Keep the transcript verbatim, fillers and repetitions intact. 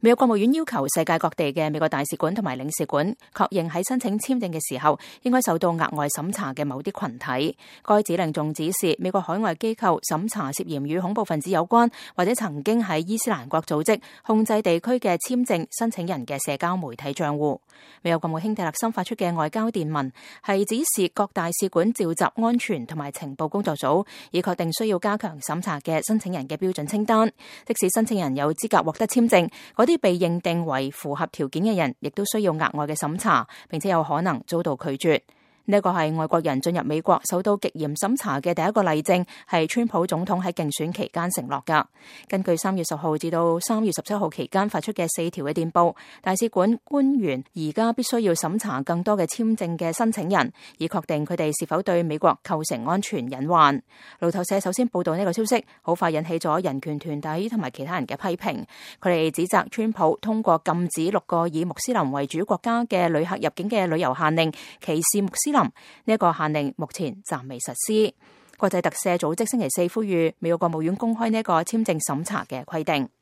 美國國務院要求世界各地嘅美國大使館同埋領事館確認喺申請簽證嘅時候應該受到額外審查嘅某啲群體。該指令仲指示美國海外機構審查涉嫌與恐怖分子有關或者曾經喺伊斯蘭國組織控制地區嘅簽證申請人嘅社交媒體賬戶。美國國務卿蒂勒森發出嘅外交電文係指示各大使館召集安全同埋情報工作組，以確定需要加強審查嘅申請人嘅標準清單。即使申請人有資格獲得簽證，嗰啲被認定為符合條件嘅人，亦都需要額外嘅審查，並且有可能遭到拒絕。呢一個係外國人進入美國受到極嚴審查嘅第一個例證，係川普總統喺競選期間承諾㗎。根據三月十號至到三月十七號期間發出嘅四條嘅電報，大使館官員而家必須要審查更多嘅簽證嘅申請人，以確定佢哋是否對美國構成安全隱患。路透社首先報道呢個消息，好快引起咗人權團體同埋其他人嘅批評。佢哋指責川普通過禁止六個以穆斯林為主國家嘅旅客入境嘅旅遊限令，歧視穆斯林。呢一個限令目前暫未實施。國際特赦組織星期四呼籲美國國務院公開呢一個簽證審查嘅規定。